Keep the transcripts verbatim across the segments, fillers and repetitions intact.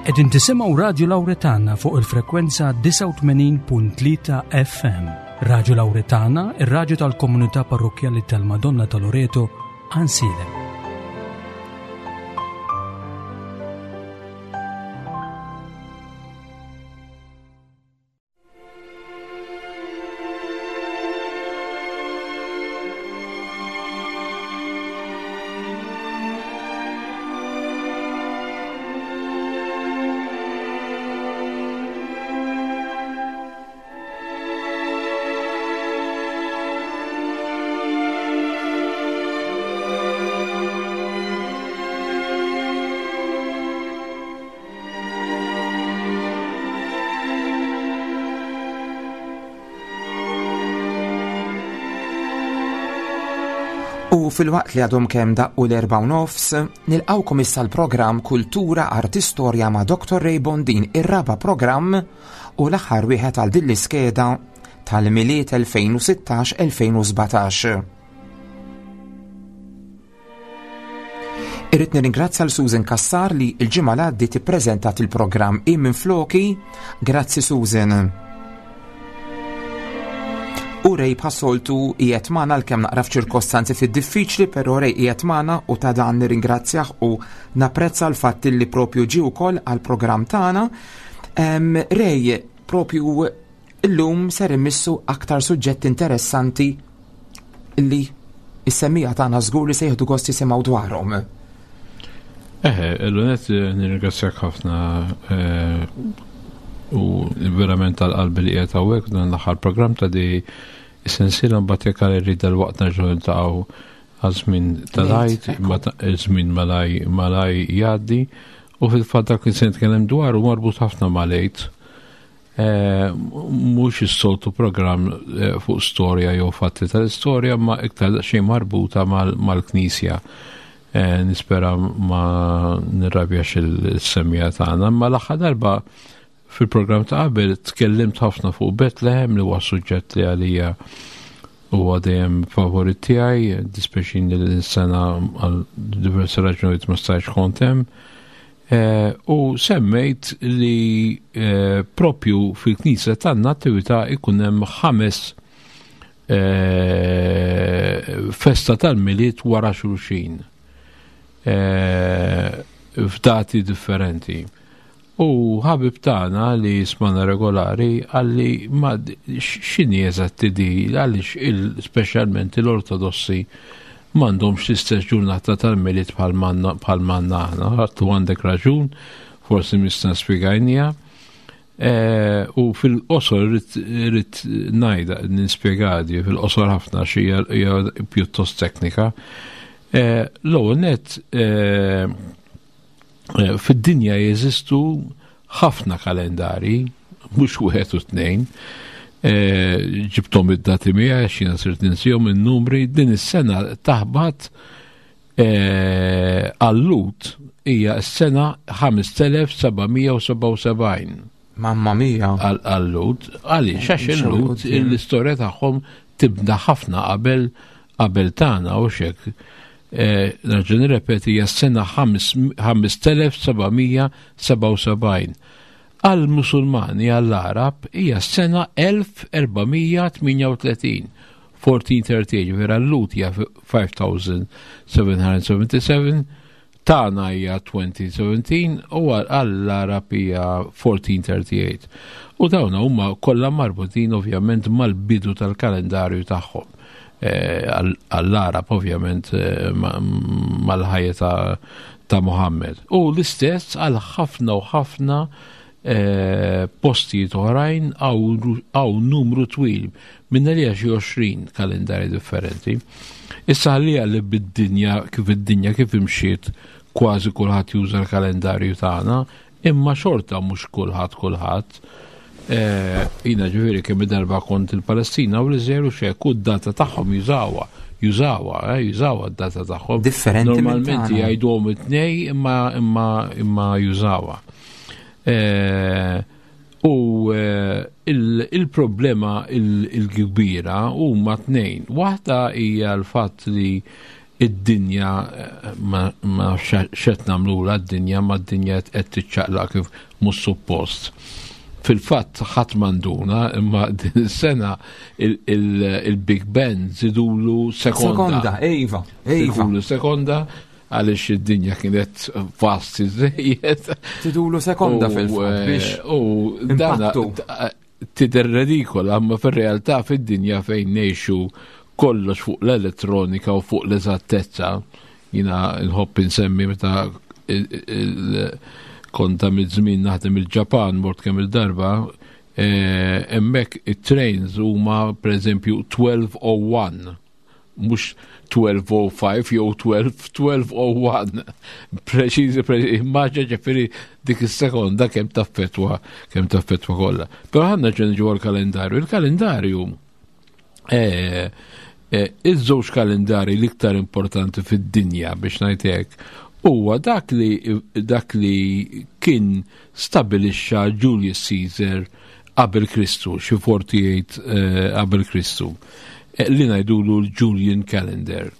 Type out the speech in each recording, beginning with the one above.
Qegħdin tisimgħu Radio Lauretana fuq il-frekwenza disgħa u tmenin punt tlieta F M. Radio Lauretana, ir-radju tal-komunità parrokkjali tal-Madonna ta' Loreto, Għajnsielem. U fil-waqt li għadhom kemm daqqu l-erba' u nofs, nilqawkom issa l-programm Kultura Arti Storja ma' Doktor Ray Bondin, ir-raba' programm u l-aħħar wieħed għal din l-iskeda tal-Milied elfejn u sittax elfejn u sbatax. Irrid nirringrazzja l Susan Cassar li l-ġimgħa li għaddiet ippreżentat il-programm i minn floki. Grazzi Susan. U Ray bħas-soltu qiegħed magħna għalkemm naqra f'ċirkostanzi ftit diffiċli, però Ray qiegħed magħna u ta' dan nirringrazzjah u napprezza l-fatt li propju ġie wkoll għall-programm tagħna. Em, Ray, propju illum ser immissu aktar suġġetti interessanti li is-semmija tagħna żgur li se jieħdu gost jisimgħu dwarhom. Eħe, l-unet nirringrazzjak ħafna, eh, u verament tal-qalbi li qiegħed hawnhekk dan l-aħħar programm ta' di is-sensiela, mbagħad jekk għal irrid dal-waqt nerġgħu niltaqgħu għal żmien tal-Għid, Ekku. ma ta-, żmien malaj, malaj jgħaddi, u fil-fatt dak li se nitkellem dwar u marbut ħafna mal-Għid. Eh, mhux is-soltu programm, eh, fuq storja jew fatti tal-istorja, ma iktar xejn marbuta mal-, mal-Knisja. Eh, nispera ma nirrabjax il-semmija tagħna, imma l-aħħar darba fil-programm ta' qabel tkellimt ħafna fuq Bethlehem, li huwa suġġett li għalija huwa dejjem favorit tiegħi, dispjaċini li s-sena għal diversi raġunijiet ma stajtx kont hemm. Eh, u semmejt li, eh, propju fil-Knisja tan-Natività ikun hemm ħames, eh, festa tal-Milied wara xulxin, eh, f'dati differenti. U ħabib tagħna li smana regolari għalli ma d-, x-, x'inhi eżatti di, għaliex il-, speċjalment l-Ortodossi m'għandhomx l-istess ġurnata tal-Milied bħal manna, bħal manna aħna. Għattu għandek raġun, forsi nista' nispjegajnija. Eh, u fil-qosor irrid, irrid ngħidha, nispjegadi fil-qosor ħafna xi hija, hija pjuttost teknika. Eh, l-ewwel nett, eh, eh, fid-dinja jeżistu ħafna kalendari, mhux wieħed u tnejn. Eh, ġibthom id-dati miegħi għax jiena sirt ninsihom in-numri. Din is-sena taħbat, eh, għall-Lut hija s-sena ħames telef seba' mija u sebgħa u sebgħin. Mamma mia. Għal-, għall-Lut, għaliex? Għax Mhux il-Lut, għall-Lut, l-istorja tagħhom tibda ħafna qabel, qabel tagħna u xek. Eh, nerġa' nirrepeti, hija s-sena ħames, ħames telef seba' mija sebgħa u sebgħin. Għall-Musulmani, għall-Arab, hija s-sena elf erba' mija tminja u tletin, fourteen thirty eight, vera l-Lut hija five thousand seven hundred seventy-seven, tagħna hija twenty seventeen u għall-Arab hija fourteen thirty eight. U dawn huma kollha marbutin ovvjament mal-bidu tal-kalendarju tagħhom. Eh, għall-, għall-Arab ovvjament, eh, ma-, mal-ħajja ta', ta' Muhammad. U l-istess għal ħafna u ħafna, eh, postijiet oħrajn għaw numru twil minn li xi għoxrin kalendari differenti. Issa ħalli li bid-dinja kif id-dinja kif imxiet kważi kulħadd juża l-kalendarju tagħna, imma xorta mhux kulħadd kulħadd. Eh, jina ġifieri kemm darba kont il-Palestina u l-Iżrael u xek, u d-data tagħhom jużawha, jużawha, eh, jużawha d-data tagħhom. Differenti minn Normalment tagħna. jgħiduhom it-tnej imma, imma, imma jużawha. Eh, u, eh, il-, il-problema il-, il-kbira huma tnejn. Waħda hija l-fatt li Id-dinja ma xet nagħmlula d-dinja, ma d-dinja qed tiċċaqlaq kif mhux suppost. Fil-fatt ħadd m'għanduna, imma din is-sena il-Big Ben żidulu sekonda. Sekonda, iva, iva. Żidulu sekonda għaliex id-dinja kienet fasti żejjed. Żidulu sekonda fil-fatt biex u dana tidher redikola, imma fir-realtà fid-dinja fejn ngħixu kollox fuq l-elettronika u fuq l-eżattezza, jina nħobb insemmi meta konta mid-żmien naħdem il-Ġapan, mort kemm il-darba, hemmhekk it-trains huma pereżempju twelve oh one, mhux twelve oh five jew twelve, twelve oh one. Preċiżi, preċiżi, immaġina ġifieri dik is-sekonda kemm taffetwa, kemm taffetwa kollha. Però ħanna ġenġu għall-kalendarju. Il-kalendarju, eh, eh, iż-żewġ kalendari l-iktar importanti fid-dinja biex ngħid hekk huwa dak li, dak li kien stabilixxa Julius Caesar qabel Kristu, xi forty-eight, eh, qabel Kristu, eh, li ngħidulu l-Julian Calendar.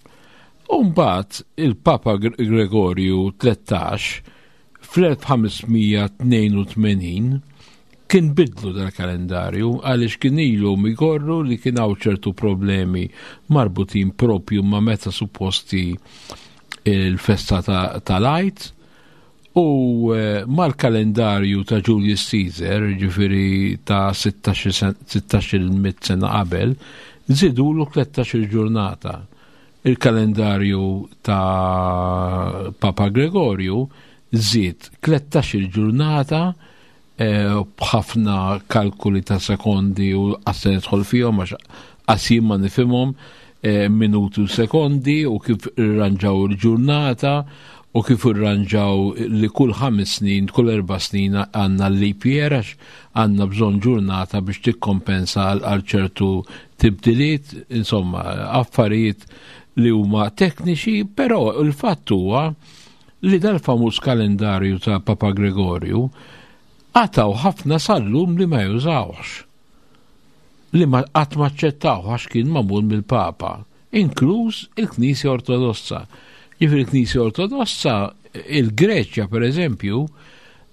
U mbagħad il-Papa Gre-, Gregorju tlettax fl-elf ħamesmija tnejn u tmenin kien bidlu dal-kalendarju għaliex kien ilu migorru li kien hawn ċertu problemi marbutin propju ma' meta supposti il-festa ta-, tal-Għid u, eh, mal-kalendarju ta' Julius Caesar, ġifieri ta' sittax-il sen-, sittax-il mitt sena qabel, żidulu tlettax-il ġurnata. Il-kalendarju ta' Papa Gregorju żied tlettax-il ġurnata, eh, b'ħafna kalkuli ta' sekondi u għas nidħol fihom għax qas jien ma nifhimhom, eh, minuti u sekondi u kif irranġaw il-ġurnata u kif irranġaw li kull ħames snin, kull erba' snin għandna l-leap year għax għandna bżonn ġurnata biex tikkompensa għal, għal ċertu tibdiliet, insomma, affarijiet li huma tekniċi, però il-fatt huwa li dal-famuż kalendarju ta' Papa Gregorju għataw ħafna sal-lum li ma jużawx, li ma qatt ma aċċettaw għax kien magħmul mill-Papa, inkluż il-Knisja Ortodossa. Ġifieri il-Knisja Ortodossa, il-Greċja per eżempju,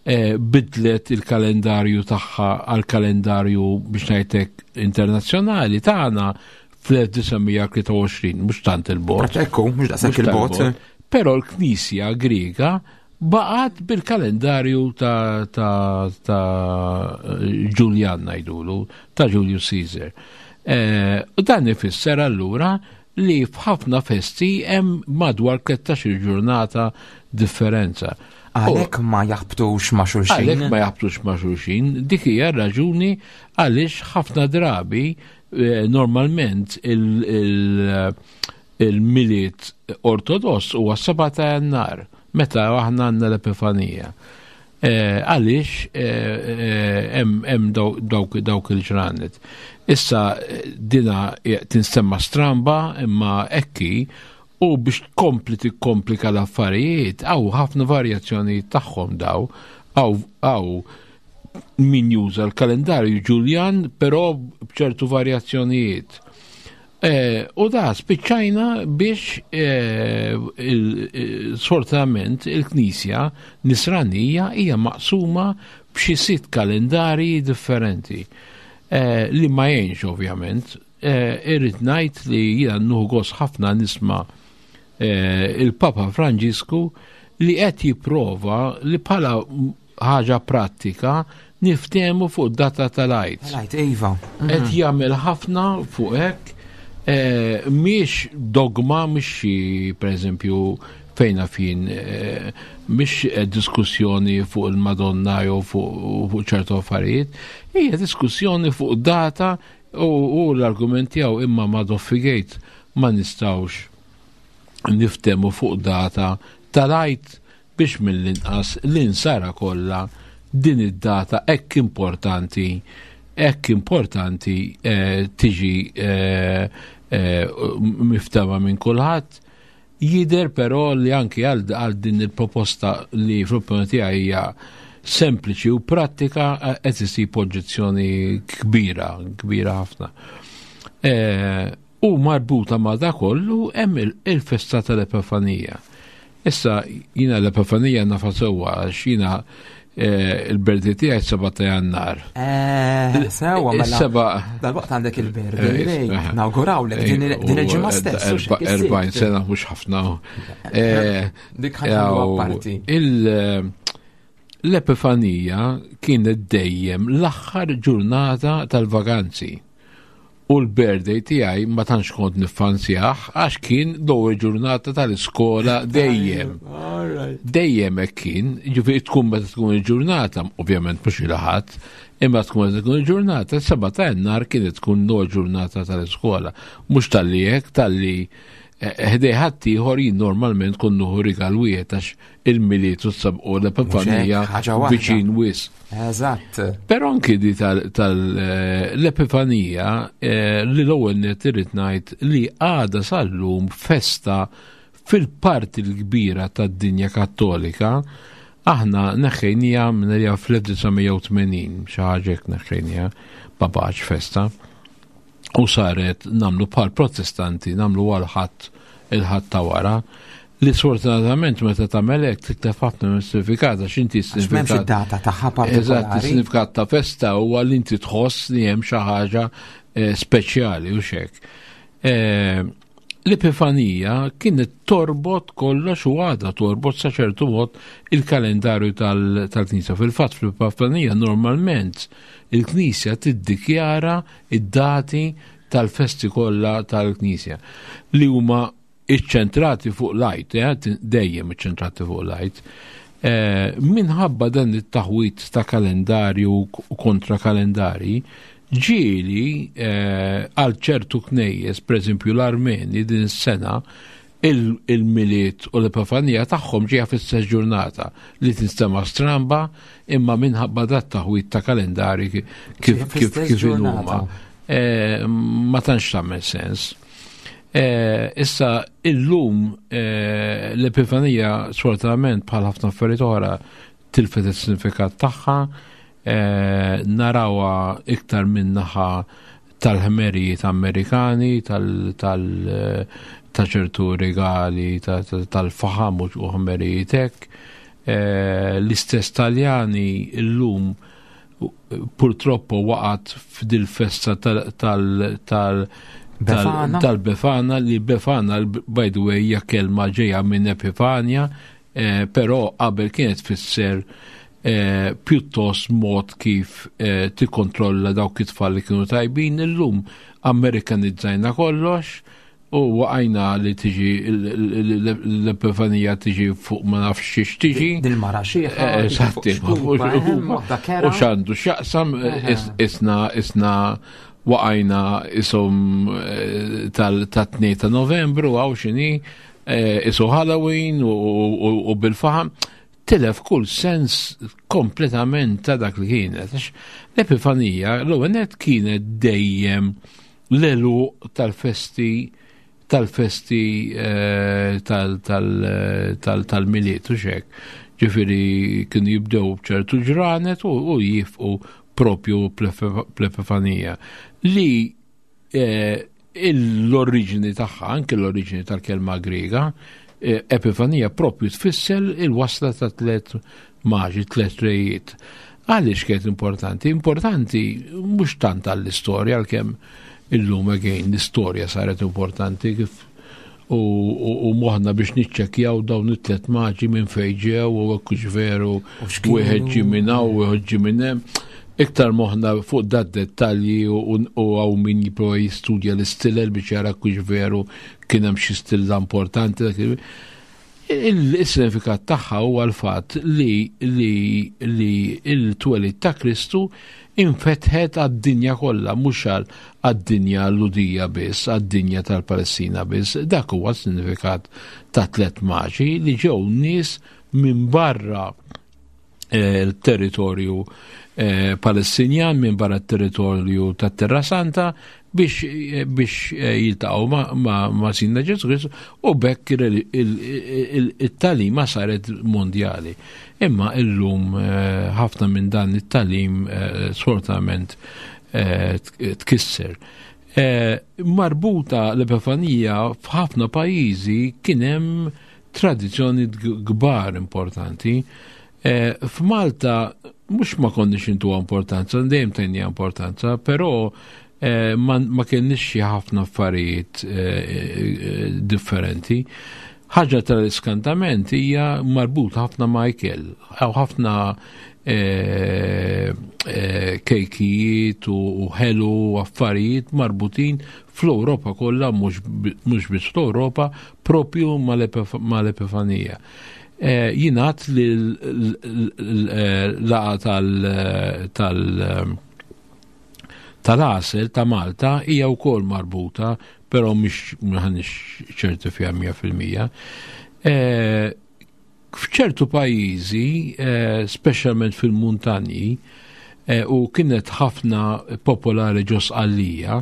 eh, bidlet il-kalendarju tagħha għal kalendarju biex ngħidlek internazzjonali tagħna fl-elf disa' mija tlieta u għoxrin, mhux tant il-bogħod. Ekku, mhux daqshekk Mhux tant il-bogħod. il-bogħod. Però l-Knisja Griega baqgħet bil-kalendarju ta', ta', ta' Julian ngħidulu, ta' Julius Caesar. Eh, u dan ifisser allura li f'ħafna festi hemm madwar tlettax-il ġurnata differenza. Għalhekk ma jaħbtux ma' xulxin. Għalhekk ma jaħbtux ma' xulxin, dik hija raġuni għaliex ħafna drabi, eh, normalment il-, il-, il-Milied Ortodoss huwa seba' ta' Jannar, meta aħna għandna l-Epifanija. Eh, għaliex, eh, eh, hemm, hemm daw-, dawk, dawk il-ġranet. Issa dina tinstemma stramba imma ekki, u biex tkompli tikkomplika l-affarijiet, hawn ħafna varjazzjonijiet tagħhom daw, hawn, hawn min juża l-kalendarju Ġuljan, però b'ċertu varjazzjonijiet. Eh, u da spiċċajna biex, eh, il-, eh, sfortunatament il-Knisja Nisranija hija maqsuma b'xi sitt kalendarji differenti. Eh, li ma jgħinx ovvjament. Eh, irrid ngħid li jiena nieħu gost ħafna nisma', eh, il-Papa Franġisku li qed jipprova li bħala ħaġa prattika niftehmu fuq data tal-Għid. Tal-Għid, iva. Qed jagħmel ħafna fuq hekk. Eh, mhix dogma, mhix xi, per eżempju, fejna fin, eh, mhix diskussjoni fuq il-Madonna jew fuq, fuq ċertu affarijiet, hija diskussjoni fuq data u, u l-argument tiegħu imma ma doffigejt ma nistgħux niftehmu fuq data tal-Għid biex mill-inqas l-insara kollha din id-data hekk importanti, hekk importanti, eh, tiġi, eh, eh, miftema minn kulħadd. Jidher però li anki għal, għal din il-proposta li fl-opinjoni tiegħi hija sempliċi u pratika, eh, qed isib oġġezzjoni kbira, kbira ħafna. Eh, U marbuta ma' da kollu hemm il-festa tal-Epifanija. Issa jiena l-Epifanija nafa sewwa għax jiena il-birthday tiegħi seba' ta' Jannar. Eh, sewwa mela. Seba' Dal-waqt għandek il-birthday, nawgurawlek din il-ġimgħa stess. Erbgħin sena mhux ħafna. Dik ħa parti. L-Epifanija kienet dejjem l-aħħar ġurnata tal-vaganzi. U l-birthday tiegħi ma tantx kont niffanzjah għax kien l-ewwel ġurnata tal-iskola dejjem. Dejjem hekk kien, ġifieri tkun meta tkun il-ġurnata, ovvjament mhux il-Ħadd, imma tkun meta tkun il-ġurnata, seba' ta' Jannar kienet tkun l-ewwel ġurnata tal-iskola. Mhux talli hekk, talli ħdej ħadd ieħor jien normalment kont nieħu rigal wieħed għax il-Milied u s-u l-Epifanija viċin wisq. Eżatt. Però anki di tal-Epifanija li l-ewwel nett irrid ngħid li għadha sal-lum festa fil-parti l-kbira tad-dinja Kattolika. Aħna neħħejnija minn fl-elf disa' mija u tmenin, xi ħaġa hekk neħħejnija, ma baqgħetx festa. U saret namlu bħal Protestanti, namlu għal ħadd il-Ħadd ta' wara, li sfortunatament meta tagħmel hekk titlef ħafna mis-sinifikat għax inti Għax m'hemmx s-sinifikat id-data tagħha Eżatt, partikolari. is-sinifikat ta' festa huwa li inti tħoss li hemm xi ħaġa, eh, speċjali u xek. Eh, l-Epifanija kienet torbot kollox u għadha torbot sa ċertu mod il-kalendarju tal-, tal-Knisja. Fil-fatt fl-Epifanija normalment il-Knisja tiddikjara id-dati tal-festi kollha tal-Knisja li huma iċċentrati fuq l-Għid, eh, dejjem iċċentrati fuq l-Għid. Eh, minħabba dan it-taħwit ta' kalendarju u kontra kalendari, ġieli, eh, għal ċertu knejjes, per eżempju l-Armeni din is-sena, il-, il-Milied u l-Epifanija tagħhom ġejja fl-istess ġurnata li tinstema' stramba, imma minħabba dat taħwit ta' kalendari ki-, kif, Ġejja kif, fl-istess kif huma. ġurnata. Eh, ma tantx tagħmel sens. Eh, issa illum, eh, l-Epifanija sfortunatament bħal ħafna affarijiet oħra tilfet is-sinifikat tagħha, eh, narawha iktar minn naħa tal-ħmerijiet Amerikani, tal-, tal-, ta' ċertu regali, ta-, ta-, tal-faħam u ħmerijiet hekk. Eh, l-istess Taljani illum purtroppo waqgħet f'dil festa tal-, tal-, tal-, Befana. tal-Befana, li Befana, by the way, hija kelma ġejja minn Epifania, eh, però qabel kienet tfisser, eh, pjuttost mod kif, eh, tikkontrolla dawk it-tfal li kienu tajbin. Illum Amerikanizzajna kollox u waqajna li tiġi l-, l-, l-, l-Epifanija tiġi fuq ma nafx xiex tiġi. Din mara xieħa, Eh, tiġi eżatt, fuq xkupa, ma fuq hemm waħda kera. U x'għandu x'jaqsam, Eħe. is-, isna, isna waqajna isom, eh, tal-, tat-tnejn ta' Novembru, għaw xini, eh, isu Halloween u, u, u, u bil-faħam, tilef kull sens kompletament ta' dak li kienet. Għax l-Epifanija l-ewwel nett kienet dejjem l-għeluq tal-festi, tal-festi, eh, tal-, tal-, tal-, tal-Milied u xek. Ġifieri kienu jibdew b'ċertu ġranet u, u jifqu propju bl-Epifanija. Li, eh, l-oriġini tagħha, anke l-oriġini tal-kelma Griega, eh, Epifanija propju tfisser il-wasla ta' tliet maġi, tliet rejiet. Għaliex kienet importanti? Importanti mhux tant għall-istorja, għalkemm illum again l-istorja saret importanti kif u, u, u moħna biex niċċekkjaw dawn it-tliet maġi minn fejn ġew u hekk hux veru, U x'kienu. wieħed ġie minn hawn, wieħed ġie minn hemm. Iktar moħna fuq dat dettalji u, u, u għaw min jipprova jistudja l-istilel biex jara kux veru kien hemm xi stilla importanti. Dak il-, il-sinifikat tagħha huwa l-fatt li, li, li il-twelid ta' Kristu infetħet għad-dinja kollha, mhux għal għad-dinja Lhudija biss, għad-dinja tal-Palestina biss. Dak huwa s-sinifikat ta' tliet maġi li ġew nies minn barra, eh, il-territorju, eh, Palestinjan, minn barra t-territorju ta' Terra Santa biex, eh, biex, eh, jiltaqgħu ma', ma', ma' Sidna Ġesù Kristu, u bekk il-, il-, il-, it-talima saret mondjali. Imma illum, eh, ħafna minn dan it-talim, eh, sfortunatament, eh, tkisser. Eh, marbuta l-Epifanija f'ħafna pajjiżi kien hemm tradizzjoni kbar importanti. Eh, f'Malta mhux ma konniex intuha importanza, dejjem tajnieha importanza, però eh, ma, ma kienx xi ħafna affarijiet differenti. Ħaġa tal-iskantament hija marbut ħafna ma' ikel, ħafna kejkijiet u ħelu u affarijiet marbutin fl-Ewropa kollha, mhux biss fl-Ewropa, propju mal-Epifanija. Jingħad li l-laqgħa tal tal-għasel ta' Malta hija wkoll marbuta, però mhix m'aħniex ċerti fiha mija fil-mija. F'ċertu pajjiżi, speċjalment fil-muntanji, u kienet ħafna popolari ġo Sqallija,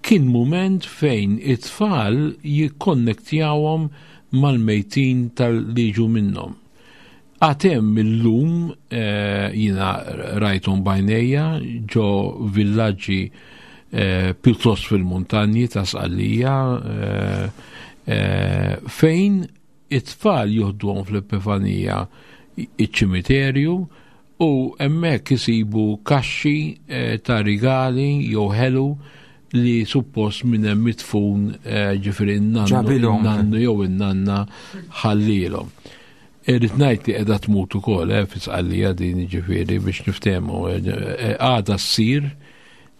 kien mument fejn it-tfal jikkonnektjawhom mal-mejtin tal-liġu minnhom. Għatem illum jiena rajthom bajnejja ġo villaġġi pjuttost fil-muntanji ta' Sqallija, fejn it-tfal juħduhom fl-Epifanija iċ-ċimiterju u hemmhekk isibu kaxxi ta' rigali jew ħelu li suppost minn hemm mitfun, ġifieri n-nannu jew in-nanna ħallilhom. Irrid ngħid li qiegħda tmut ukoll fi Sqallija din, ġifieri biex niftehmu, għadha ssir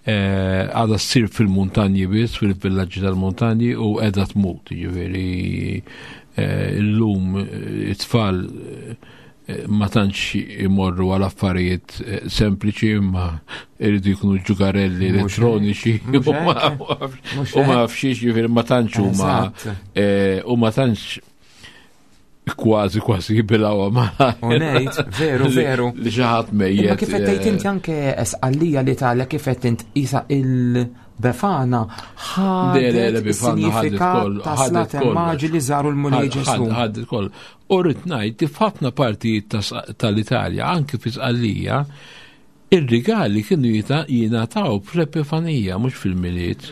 għadha ssir fil-muntanji biss, fil-villaġġi tal-muntanji, u qiegħda tmut, ġifieri illum it-tfal ma tantx imorru għal affarijiet sempliċi, imma iridu jkunu ġugarelli elettroniċi u ma fxiex, ġifieri ma tantx huma u ma tantx kważi kważi jibilgħuha ma. U ngħid, veru, veru. Li xi ħadd mejjet. Imma kif qed tgħid inti anke Sqallija li tagħlek kif qed int isa il-Befana ħadet is-sinifikat ta' slaten maġi li żaru l-Mulej Ġesù. Ħadet koll. U rrid ngħid li f'ħafna partijiet tal-Italja, anke fi Sqallija, ir-rigali kienu jingħataw fl-Epifanija, mhux fil-Milied.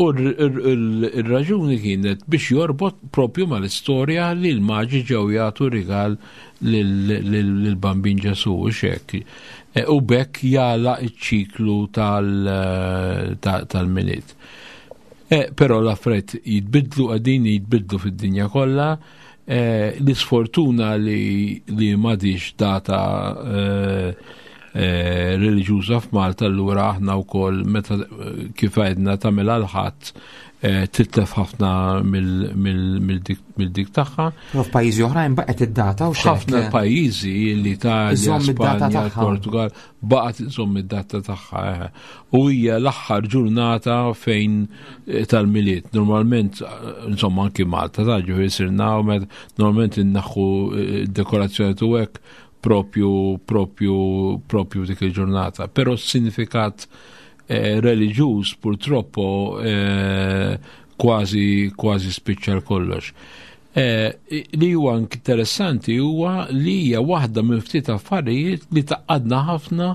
U r-raġuni kienet biex jorbot propju mal-istorja li l-maġi ġew jagħtu rigal lill-Bambin Ġesù u xek. U bekk jagħlaq iċ-ċiklu tal-Milied. Però l-affarijiet jitbidlu, qegħdin jitbidlu fid-dinja kollha. L-isfortuna li m'għadix data reliġjuża f'Malta, allura aħna wkoll meta kif għedna tagħmel għal ħadd titlef ħafna mill-dik tagħha. Però f'pajjiżi oħrajn baqgħet id-data u ħafna pajjiżi, l-Italja, Spanja, Portugal, baqgħet iżomm id-data tagħha. U hija l-aħħar ġurnata fejn tal-Milied. Normalment, insomma, anki Malta, ta' ġifieri sirna normalment innaħħu d-dekorazzjoni tu hekk propju propju propju dik il-ġurnata. Però s-sinifikat eh, reliġjuż purtroppo eh, kważi kważi spiċċa kollox. Eh, li huwa interessanti huwa li hija waħda minn ftit affarijiet li taqadna ħafna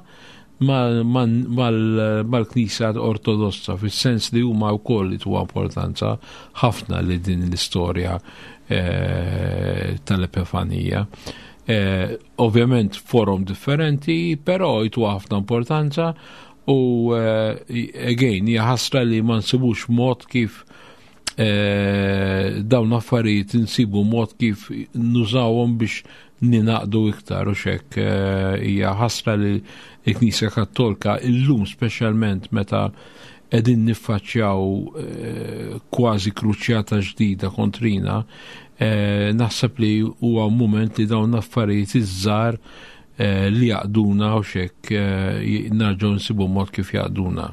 mal-Knisja Ortodossa, fis-sens li huma wkoll li tuha importanza ħafna li din l-istorja eh, tal-Epifanija. Eh, ovvjament forum differenti, però jtu ħafna importanza u eh, again hija ħasra li ma nsibux mod kif eh, dawn affarijiet insibu mod kif nużawhom biex ninaqdu iktar u xek. Hija ħasra li l-Knisja Kattolika illum, speċjalment meta qegħdin niffaċċjaw kważi kruċjata ġdida kontrina, naħseb li huwa mument li dawn affarijiet iż-żgħar li jaqduna u xek narġgħu nsibu mod kif jaqduna.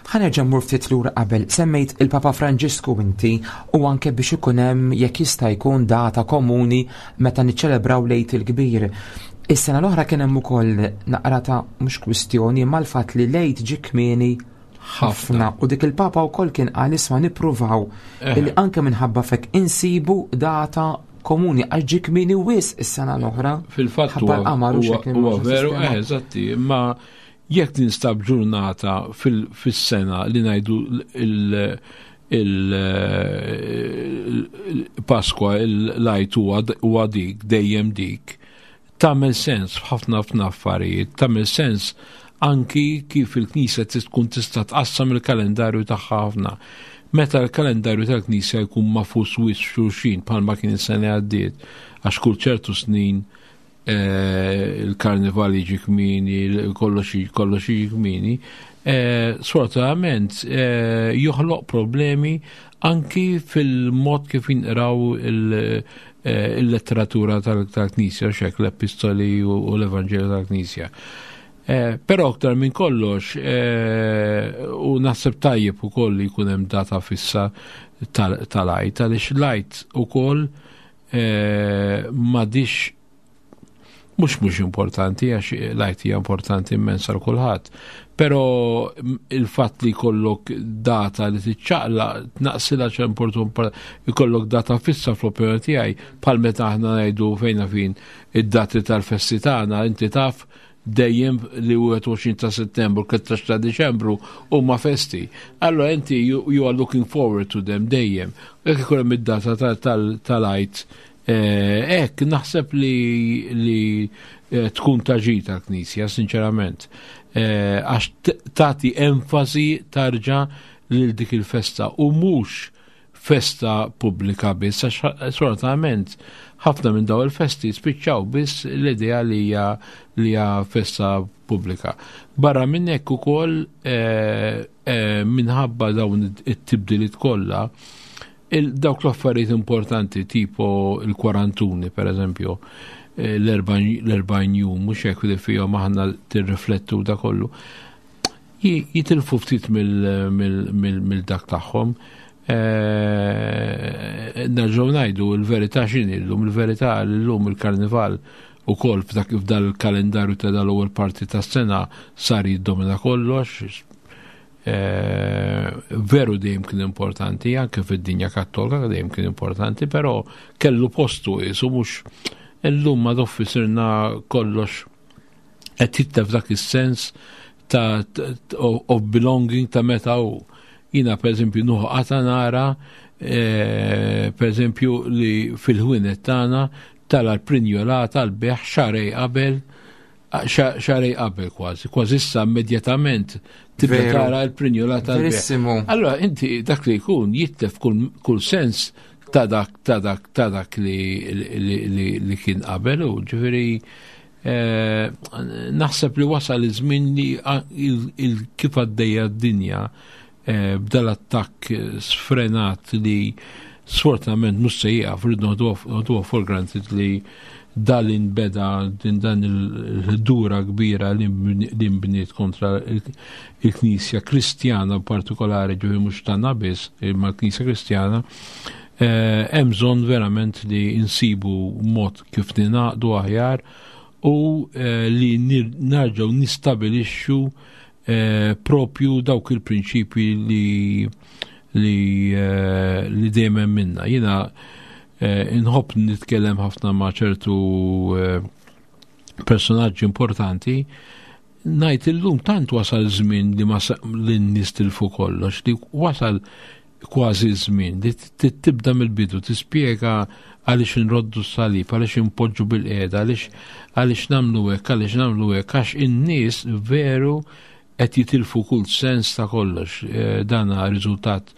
Ħa nerġa' mmur ftit lura qabel, semmejt il-Papa Franġisku inti, u anke biex ikun hemm jekk jista' jkun data komuni meta niċċelebraw l-Għid il-Kbir. Is-sena l-oħra kien hemm ukoll naqra ta' mhux kwistjoni imma l-fatt li l-Għid ġie kmieni ħafna, u dik il-Papa wkoll kien qal isma' nippruvaw illi anke minħabba fek insibu data komuni għax ġie kmieni wisq is-sena l-oħra. Fil-fatt huwa veru, eżatti, imma Jekk tinstab ġurnata fis-sena li ngħidu il-Pasqua, l-Għid huwa dik, dejjem dik, tagħmel sens f'ħafna ħafna affarijiet, tagħmel sens anki kif il-Knisja tkun tista' tqassam il-kalendarju tagħha ħafna. Meta l-kalendarju tal-Knisja jkun magħfus wisq xulxin bħalma kien is-sena għaddiet, għax kull ċertu snin eh, il-karnival jiġi kmieni, kollox kollox jiġi kmieni, eh, sfortunatament eh, joħloq problemi anki fil-mod kif jinqraw il-letteratura tal-Knisja, xek l-epistoli u l-Evanġelju tal-Knisja. Però aktar minn kollox, u naħseb tajjeb ukoll li jkun hemm data fissa tal-Għid, għaliex l-Għid ukoll m'għadix mhux mhux importanti, għax l-Għid hija importanti immens għal kulħadd, però il-fatt li jkollok data li tiċċaqla tnaqsilha ċemportu, jkollok data fissa fl-opinjoni tiegħi, bħal meta aħna ngħidu fejna fin id-dati tal-festi tagħna, inti taf dejjem li wieħed u għoxrin ta' Settembru, tlettax ta' Diċembru huma festi. Allora inti you, you are looking forward to them dejjem. Jekk ikun hemm id-data tal-Għid, hekk naħseb li li tkun ta' ġid tal-Knisja, sinċerament. Għax tagħti enfasi tarġa' lil dik il-festa u mhux festa pubblika biss, għax sfortunatament ħafna minn daw il-festi spiċċaw biss l-idea li hija li hija festa pubblika. Barra minn hekk ukoll eh, eh, minħabba dawn it-tibdiliet kollha, dawk l-affarijiet importanti tipo il-kwarantuni, per eżempju, eh, l-erbgħin jum, mhux hekk, li fihom aħna tirriflettu da kollu, jitilfu ftit mill-dak tagħhom. Nerġgħu ngħidu l-verità x'inhi llum, il-verità llum il-karnival ukoll f'dak f'dal il-kalendarju ta' dal-ewwel parti tas-sena sar jiddomina kollox. Veru dejjem kien importanti, anke fid-dinja Kattolika dejjem kien importanti, però kellu postu jisu mhux illum ma doffi sirna kollox qed jitlef dak is-sens ta' of belonging ta' meta u jina per eżempju nuħu qata nara per eżempju li fil-ħwienet tagħna tara l-prinjolata l-beħ xarej qabel, xarej qabel kważi, kważi issa immedjatament tibda tara l-prinjolata l-beħ. Allora inti dak li jkun jitlef kull sens ta' dak ta' dak ta' dak li, li, li, li kien qabel u ġifieri naħseb li wasal iż-żmien li kif għaddejja d-dinja b'dal-attakk sfrenat li sfortunatament mhux se jieqaf, rridu noħduha for granted li dal inbeda din dan il-ħdura kbira li nbniet kontra il-Knisja Kristjana partikolari, ġifieri mhux tagħna biss, imma l-Knisja Kristjana, hemm bżonn verament li insibu mod kif ningħaqdu aħjar u li nerġgħu nistabilixxu propju dawk il-prinċipji li li li dejjem minna. Jiena inħobb nitkellem ħafna ma' ċertu personaġġi importanti, ngħid illum tant wasal żmien li ma li n-nies tilfu kollox, li wasal kważi żmien li tibda mill-bidu tispjega għaliex nroddu s-salib, għaliex impoġġu bil-qiegħda, għaliex għaliex nagħmlu hekk, għaliex nagħmlu hekk, għax in-nies veru qed jitilfu kull sens ta' kollox. Dana riżultat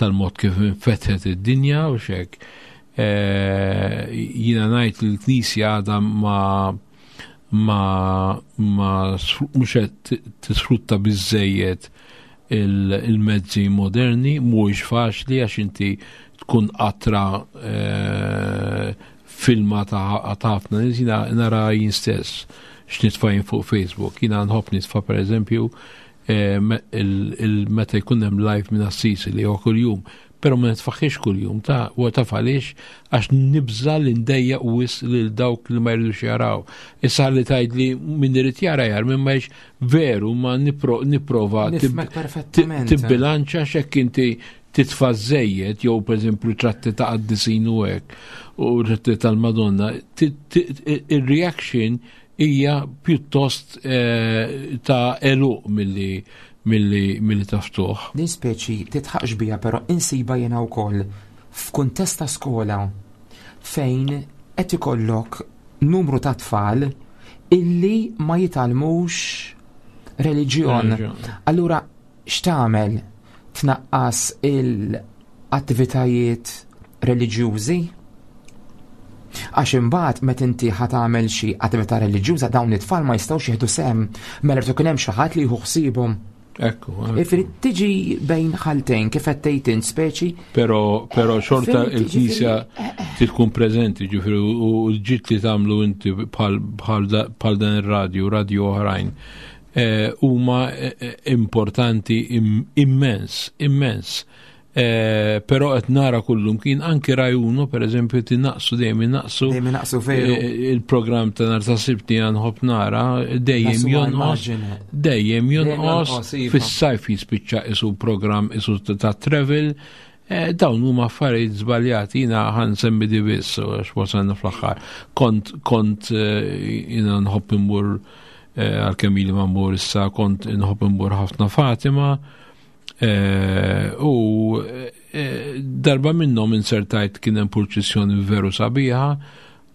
tal-mod kif infetħet id-dinja u xek. Jiena ngħid li l-Knisja għadha ma ma ma mhux qed tisfrutta biżejjed il-mezzi moderni, mhuwiex faċli għax inti tkun qatra filma ta' ħafna nies. Jiena nara jien stess x'nitfa' jien fuq Facebook. Jiena nħobb nitfa' per eżempju meta jkun hemm live minn Assisi li huwa kuljum, però ma nitfaħiex kuljum ta' u taf għaliex, għax nibża li ndejjaq wisq lil dawk li ma jridux jaraw. Issa li tgħid li min irid jara jar, min ma jix veru ma nipprova Nifhmek perfettament. tibbilanċa x'hekk inti titfa' żejjed jew pereżempju tratti ta' qaddisin u hekk u tratti tal-Madonna, il-reaction hija pjuttost eh, ta' għeluq milli milli milli ta' ftuħ. Din speċi titħaqx bija, però insiba jiena wkoll f'kuntest ta' skola fejn qed ikollok numru ta' tfal illi ma jitgħallmux reliġjon. Allura x'tagħmel? Tnaqqas il-attivitajiet reliġjużi? Għax imbagħad meta inti ħa tagħmel xi attività reliġjuża, dawn it-tfal ma jistgħux jieħdu sehem, mela rid ikun hemm xi ħadd li jieħu ħsiebhom. Ekku. Ifri tiġi bejn ħaltejn kif qed tgħid int speċi. Però però xorta il-Knisja tkun preżenti, ġifieri, u l-ġid li tagħmlu inti bħal dan ir-radju, radju oħrajn, eh, huma eh, importanti immens, immens. Eh, però qed nara kullum kien anki Rai Uno, per eżempju, tinaqsu dejjem innaqsu. Dejjem innaqsu, veru. Il-programm ta' nhar ta' Sibt li nħobb nara dejjem jonqos, dejjem jonqos, iva. Fis-sajf jispiċċa isu programm isu ta' travel. Dawn huma affarijiet żbaljati, jiena ħa nsemmi di biss għax wasalna fl-aħħar. Kont kont jiena nħobb immur, għalkemm ili ma mmur issa, kont nħobb immur ħafna Fatima. U darba minnhom insertajt kien hemm purċissjoni veru sabiħa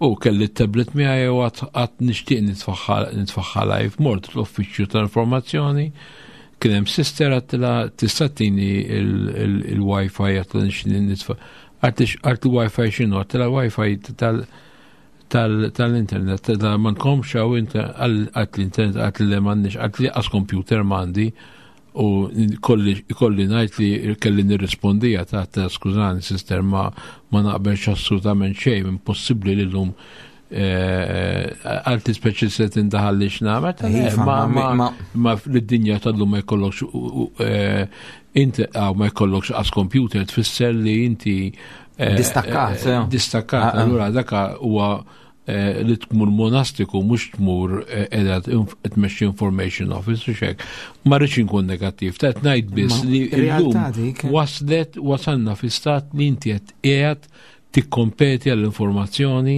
u kelli t-tablet miegħi u għad nixtieq nitfaħħa live. Mort l-uffiċċju tal-informazzjoni, kien hemm sister, għedtilha, "Tista' ttini il-Wi-Fi?" Għedtilha, "Nixtieq nitfa'." Għalt, "Il-Wi-Fi x'inhu?" Għedtilha, "Wi-Fi tal-internet, m'għandkomx hawn inta?" Għalt, "L-internet?" Għalt, "Le, m'għandniex." Għalt li għas computer m'għandi u kolli ngħid li kelli nirrispondija ta' ta' "Skużani sister, ma ma naqbelx assolutament xejn, impossibbli li llum," għalti, "speċi se tindaħal li x'nagħmel." Ma ma fid-dinja tal-lum ma jkollokx inti ma jkollokx għas computer tfisser li inti distakkat. Distakkat, allura daka huwa li tmur monastiku, mhux tmur qiegħda tmexxi information office u xek. Ma rridx inkun negattiv, ta' ngħid biss li llum waslet wasalna fi stat li inti qed qiegħed tikkompeti għall-informazzjoni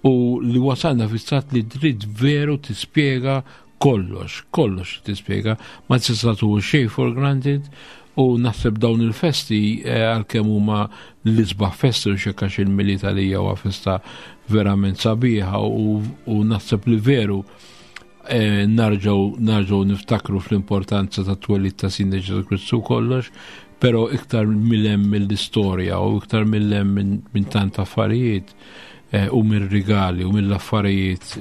u li wasalna fi stat li trid veru tispjega kollox, kollox tispjega, ma tista' tieħu xejn for granted. U naħseb dawn il-festi, għalkemm huma l-isbaħ festi u xekkax il-Milied għalija huwa festa verament sabiħa u naħseb li veru narġgħu narġgħu niftakru fl-importanza ta' twelid ta' Sidna Ġesù Kristu kollox, però iktar mill-hemm mill-istorja u iktar mill-hemm minn tant affarijiet u mir-rigali u mill-affarijiet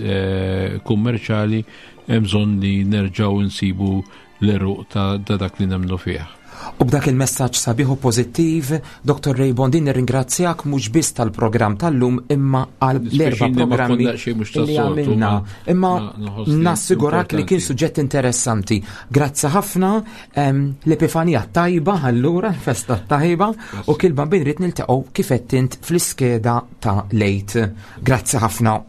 kummerċali, hemm bżonn li nerġgħu nsibu l-għeruq ta' dak li nemmnu fih. U b'dak il-messaġġ sabiħ u pożittiv, Doktor Ray Bondin, nirringrazzjak mhux biss tal-programm tal-lum imma għal l-erba' programmi li għamilna. Imma nassigurak li kien suġġett interessanti. Grazzi ħafna, l-Epifanija tajba allura, festa tajba, u kilba bin rrid niltaqgħu kif qed int fl-iskeda ta' lejt. Grazzi ħafna.